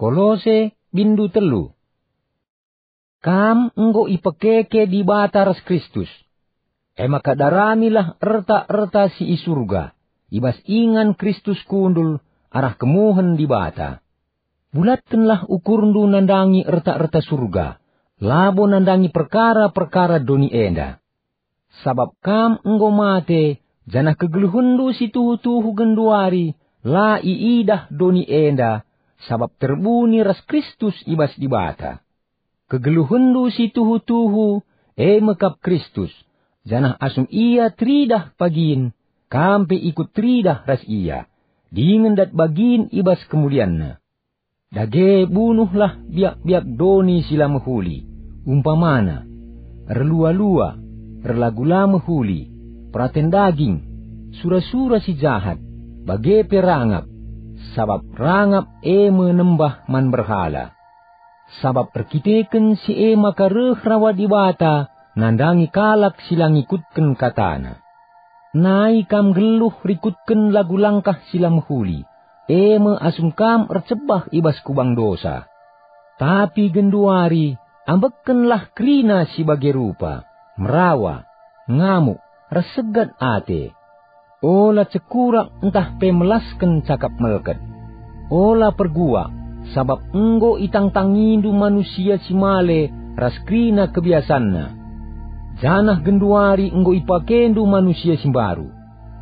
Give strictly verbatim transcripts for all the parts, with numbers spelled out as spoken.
Kolose, bindu telu. Kam enggo ipekeke Dibata ras Kristus. E maka daramilah erta-erta si i Surga, i bas ingan Kristus kundul arah kemuhen Dibata. Bulatkenlah ukurndu nandangi erta-erta Surga, labo nandangi perkara-perkara doni enda. Sabap kam enggo mate, janah kegeluhenndu si tuhu-tuhu genduari la iidah doni enda, sabap terbuni ras Kristus i bas Dibata. Kegeluhenndu si tuhu-tuhu, e me kap Kristus, janah asum Ia teridah pagin, kam pe ikut teridah ras Ia, dingen dat bagin i bas kemulianNa. Dage bunuhlah biak-biak doni si la mehuli, umpamana, erlua-lua, erlagu la mehuli, peraten daging, sura-sura si jahat, bage pe rangap, sabap rangap e me nembah man berhala. Sabap erkiteken si e maka reh rawa Dibata nandangi kalak si la ngikutken kataNa. Nai kam nggeluh rikutken lagu langkah si la mehuli, e me asum kam ercebah i bas kubang dosa. Tapi genduari, ambekkenlah kerina si bage rupa, merawa, ngamuk, ras segat ate. Ola cekurak ntah pe melasken cakap melket. Ola perguak, sabap enggo itangtangindu manusia si male ras kerina kebiasanna. Janah genduari enggo ipakendu manusia si mbaru.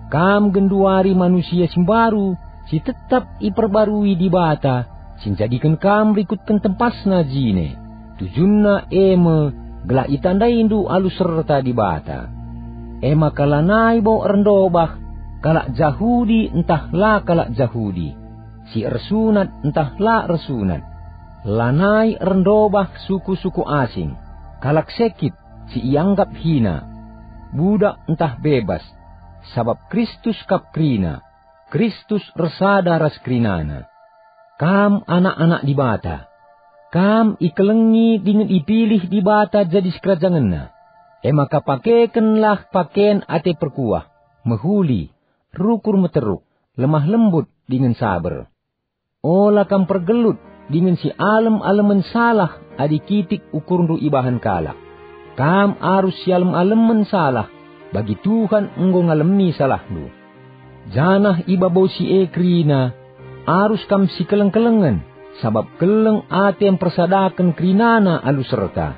Kam genduari manusia si mbaru, si tetap iperbarui Dibata, si njadiken kam rikutken tempasNa jine. Tujunna e me gelah itandaindu alu serta Dibata. E maka lanai bo erndobah kalak Jahudi ntah la kalak Jahudi, si ersunat ntah la ersunat. Lanai erndobah suku-suku asing, kalak sekit si ianggap hina, budak ntah bebas, sabap Kristus kap kerina, Kristus ersada ras kerinana. Kam anak-anak Dibata. Kam ikelengi dingen ipilih Dibata jadi sikerajangenNa. E maka pakekenlah paken ate perkuah, mehuli, rukur meteruk, lemah lembut dingen saber. Ola kam pergelut dingen si alem-alemen salah adi kitik ukurndu ibahan kalak. Kam arus si alem-alemen salah, bagi Tuhan enggo ngalemi salahndu. Janah i babo si e kerina, arus kam sikeleng-kelengen, sabap keleng ate mpersadaken kerinana alu serta.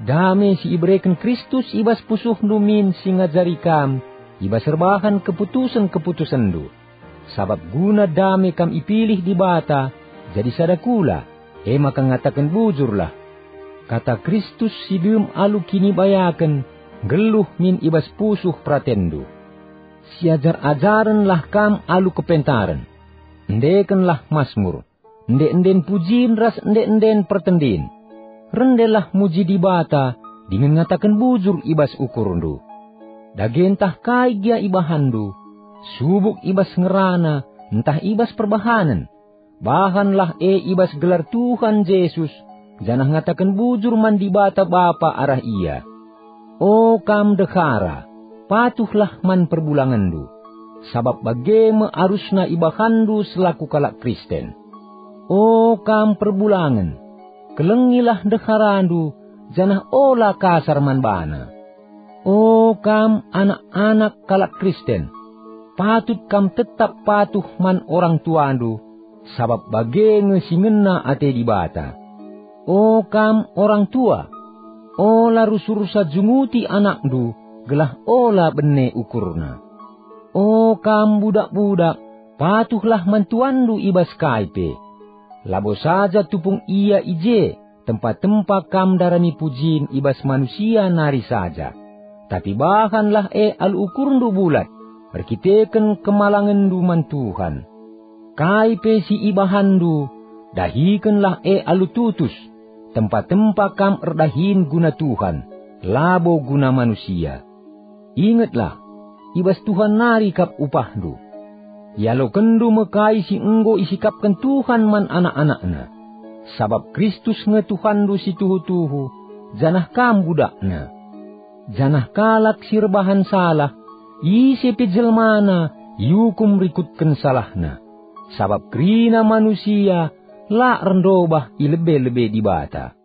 Dame si ibereken Kristus i bas pusuhndu min si ngajari kam i bas erbahan keputusen-keputusenndu. Sabap guna dame kam ipilih Dibata jadi sada kula, e maka ngataken bujurlah. Kata Kristus si dem alu kinibayaken nggeluh min i bas pusuh peratenndu. Siajar-ajarenlah kam alu kepentaren. Endekenlah masmur, ende-enden pujin ras ende-enden pertendin. Rendelah muji Dibata dingen ngataken bujur i bas ukurndu. Dage ntah kai gia ibahanndu, subuk i bas ngerana ntah i bas perbahanen, bahanlah e i bas gelar Tuhan Jesus, janah ngataken bujur man Dibata Bapa arah Ia. O kam ndehara, patuhlah man perbulangenndu, sabap bage me arusna ibahanndu selaku kalak Kristen. O kam perbulangen, kelengilah ndeharandu, janah ola kasar man bana. O kam anak-anak kalak Kristen, patut kam tetap patuh man orang tuandu, sabap bage nge si ngena ate Dibata. O kam orang tua, ola rusur-rusa junguti anakndu, gelah ola bene ukurna. O kam budak-budak, patuhlah man tuanndu i bas kai pe. Labo saja tupung ia i je, tempa-tempa kam ndarami pujin i bas manusia nari saja. Tapi bahanlah e alu ukurndu bulat, erkiteken kemalangenndu man Tuhan. Kai pe si ibahanndu, dahikenlah e alu tutus, tempa-tempa kam erdahin guna Tuhan, labo guna manusia. Ingetlah, i bas Tuhan nari kap upahndu. Ialokenndu me kai si enggo isikapken Tuhan man anak-anakNa. Sabap Kristus nge Tuhanndu si tuhu-tuhu, janah kam budakNa. Janah kalak si erbahan salah, ise pe jelmana iukum rikutken salahna. Sabap kerina manusia la erndobah i lebe-lebe Dibata.